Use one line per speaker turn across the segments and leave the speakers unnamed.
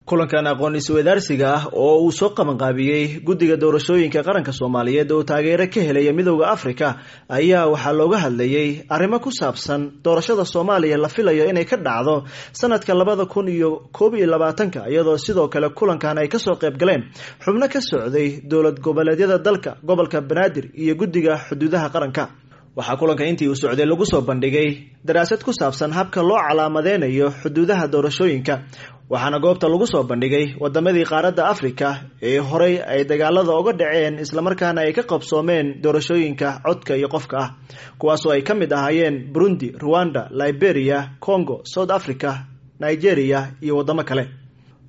Kulankan aqoon isweydaarsiga ah oo uu soo qabanqaabiyey guddiga doorashooyinka qaranka Soomaaliyeed oo taageero ka helaya Midowda Afrika ayaa waxaa looga hadlayay arrimo ku saabsan doorashada Soomaaliya la filayo inay ka dhacdo sanadka 2021, iyadoo sidoo kale kulankan ay kasoo qayb galeen xubno ka socday dowlad goboleedyada dalka, gobolka Banaadir iyo guddiga xuduudaha qaranka. Waxaa kulanka intii uu socday lagu soo bandhigay daraasad ku saabsan habka loo calaamadeynayo xuduudaha doorashooyinka, waxaana goobta lagu soo bandhigay wadamadii qaaradda Afrika ee horey ay dagaalada uga dhaceen islamarkaana ay ka qabsoomeen doorashooyinka codka iyo qofka ah, kuwaasoo ay ka mid ahaayeen Burundi, Rwanda, Liberia, Congo, South Africa, Nigeria iyo wadamo kale.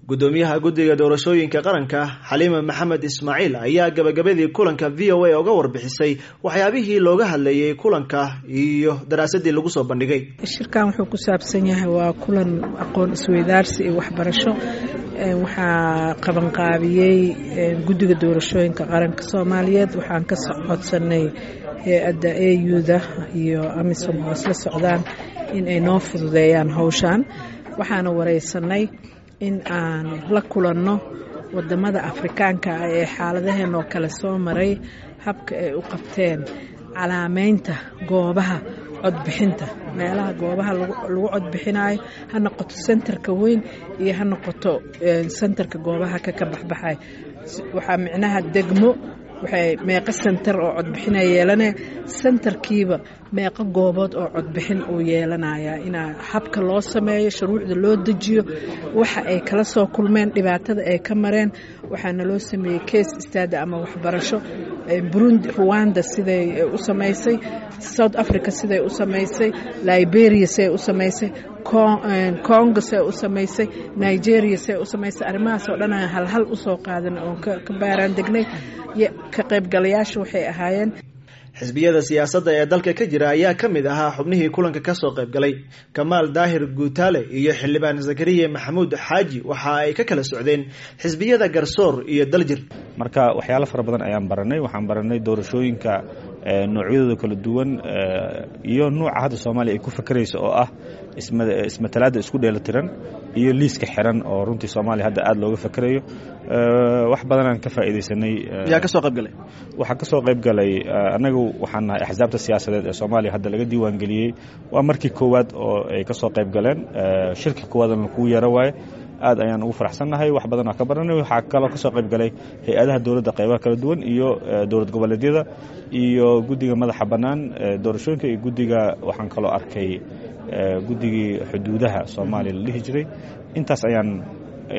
Gudoomiyaha guddiga doorashooyinka qaranka Xaliima Maxamed Ismaaciil ayaa gabagabadii kulanka VOA uga warbixisay waxyaabihii looga hadlayay kulanka iyo daraasadii lagu soo bandhigay.
Shirkan wuxuu ku saabsan yahay waa kulan aqoon isweydaarsi iyo waxbarasho. Waxaa qabanqaabiyey guddiga doorashooyinka qaranka Soomaaliyeed. Waxaan ka codsanay hay-adda AU-da iyo AMISOM oo isla socdaan in ay noo fududeeyaan howshan. Waxaana wareysanay in aan la kulanno wadamada Afrikaanka ah ee xaaladaheen oo kale soo maray, habka ay u qabteen calaameynta goobaha codbixinta, meelaha goobaha lagu codbixinayo, ha noqoto sentarka weyn iyo ha noqoto sentarka goobaha ka baxbaxay. Waxaa micnaha degmo waxay meeqo sentar oo codbixina yeelanaya, sentarkiiba meeqo goobood oo codbixin uu yeelanaya, inaa habka loo sameeyo, shuruucda loo dejiyo, waxa ay kala soo kulmeen, dhibaatada ay ka mareen. Waxaana loo sameeyey case study ama waxbarasho Burundi, Rwanda siday u samaysay, South Africa siday u samaysay, Liberia siday u samaysay, Congo siday u samaysay, Nigeria siday u samaysay. Arrimahaas oo dhan aan halhal usoo qaadan oon ka baaraan degnay. Ka qaybgalayaasha waxay ahaayeen
xisbiyada siyaasadda ee dalka ka jira ayaa ka mid ahaa xubnihii kulanka kasoo qayb galay. Kamaal Daahir Guutaale iyo xildhibaan Zakariya Maxamuud Xaaji waxa ay ka kala socdeen xisbiyada Garsoor iyo Daljir.
Marka waxyaalo fara badan ayaan baranay. Waxaan baranay doorashooyinka noocyadooda kala duwan iyo nuuca hadda Soomaaliya ay ku fakerayso oo ah ismatalaadda isku dheelitiran iyo liiska xiran oo runtii Soomaaliya hadda aada looga fakerayo. Wax badanaan ka faa'iidaysanay.
Yaa kasoo qayb galay?
Waxaa ka soo qayb galay, annagu waxaan nahay axsaabta siyaasadeed ee Soomaaliya hadda laga diiwaangeliyey. Waa markii koowaad oo ay ka soo qayb galeen, shirki koowaadna kuu yeero waaye. Aad ayaan ugu faraxsannahay, wax badan oo ka baranay. Waxaa kaloo ka soo qayb galay hay-adaha dowladda qaybaha kala duwan iyo dowlad goboleedyada iyo guddiga madaxa bannaan doorashooyinka iyo guddiga, waxaan kaloo arkay guddigii xuduudaha Soomaaliya la dhihi jiray. Intaas ayaan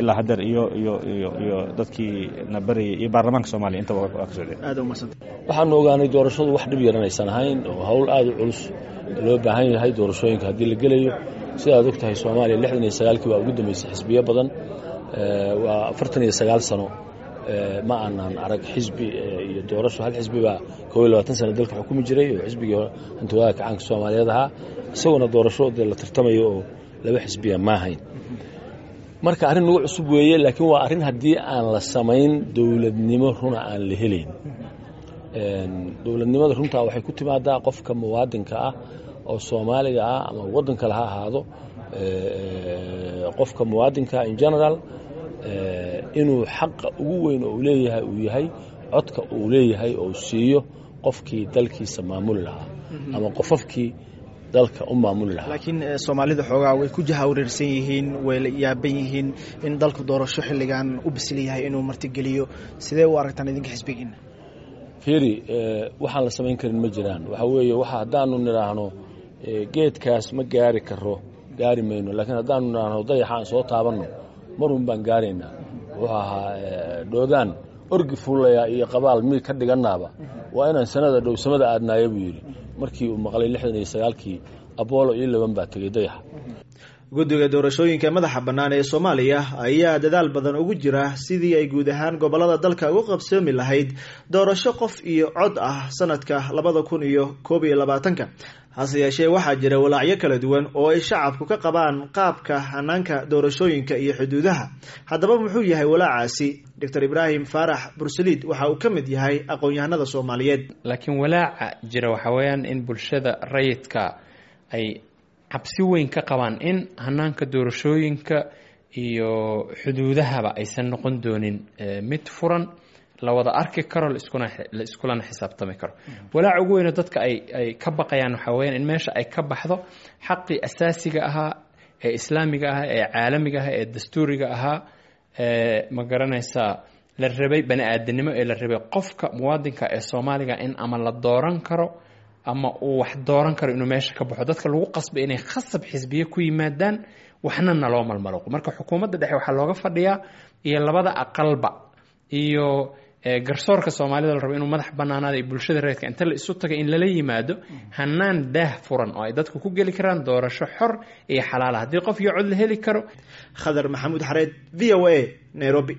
ilaa haddeer iyo iyo iyo iyo dadkii na barayay iyo baarlamaanka Soomaaliya intaba waa ka socdeen.
Waxaanu ogaanay doorashadu wax dhib yaranaysan ahayn oo hawl aada u culus loo baahan yahay doorashooyinka haddii la gelayo. Sidaad og tahay, Soomaaliya 69-kii baa ugu dambeysay xisbiyo badan. Waa 49 sano ma aanan arag xisbi iyo doorasho. Hal xisbi baa 21 sano dalka xukumi jiray oo xisbigii hantiwadaha kacaanka Soomaaliyeed ahaa, isaguna doorasho dee la tartamayo oo laba xisbiya ma ahayn. Marka arrin nagu cusub weeye, laakiin waa arrin haddii aan la samayn dowladnimo runa aan la helayn. Dowladnimada runtaa waxay ku timaadaa qofka muwaadinka ah oo Soomaaliga ah ama waddan kale ha ahaado, qofka muwaadinka in general inuu xaqa ugu weyn oo uu leeyahay uu yahay codka uu leeyahay oo siiyo qofkii dalkiisa maamuli lahaa ama qofafkii dalka u maamuli lahaa.
Laakiin Soomaalida xoogaa way ku jahawareersan yihiin, way la yaaban yihiin in dalku doorasho xilligan u bisil yahay inuu martigeliyo. Sidee u aragtaan idinka xisbigiina?
Fiiri, waxaan la samayn karin ma jiraan. Waxaa weeye, waxa haddaanu nidhaahno geedkaas ma gaari karo, gaari mayno, laakiin haddaanu nidhaahno dayaxa aan soo taabanno, marun baan gaaraynaa. Wuxuu ahaa dhoodaan orgi fuulayaa iyo qabaal mid ka dhiganaaba waa inaan sanada dhow samada aadnaaya, buu yidhi markii uu maqlay 69-kii Apollo iyo 11 baa tegey dayaxa.
Guddiga doorashooyinka madaxa bannaan ee Soomaaliya ayaa dadaal badan ugu jira sidii ay guud ahaan gobollada dalka ugu qabsoomi lahayd doorasho qof iyo cod ah sanadka 2021-ka. Hase yeeshee, waxaa jira walaacyo kala duwan oo ay shacabku ka qabaan qaabka hanaanka doorashooyinka iyo xuduudaha. Haddaba muxuu yahay walaacaasi? Doctor Ibraahim Faarax Bursaliid waxa uu ka mid yahay aqoon-yahanada Soomaaliyeed.
Laakiin walaaca jira waxaa weeyaan in bulshada rayidka ay cabsi weyn ka qabaan in hanaanka doorashooyinka iyo xuduudahaba aysan noqon doonin mid furan, la wada arki karo, la iskulana xisaabtami karo. Walaaca ugu weyno dadka ay ka baqayaan waxaa weyaan in meesha ay ka baxdo xaqii asaasiga ahaa ee islaamiga ahaa ee caalamiga ahaa ee dastuuriga ahaa, ma garanaysaa, la rabay bani aadamnimo ee la rabay qofka muwaadinka ee Soomaaliga in ama la dooran karo ama uu wax dooran karo, inuu meesha ka baxo, dadka lagu qasbay inay khasab xisbiye ku yimaadaan, waxna naloo malmaluqo. Marka xukuumadda dhexe waxaa looga fadhiyaa iyo labada aqalba iyo garsoorka Soomaalida la rabo inuu madax banaanaada iyo bulshada reerka inta la isu taga in lala yimaado hanaan daah furan oo ay dadku ku geli karaan doorasho xor iyo xalaala, haddii qof iyo cod la heli karo.
Khadar Maxamuud Xareed, V O A, Nairobi.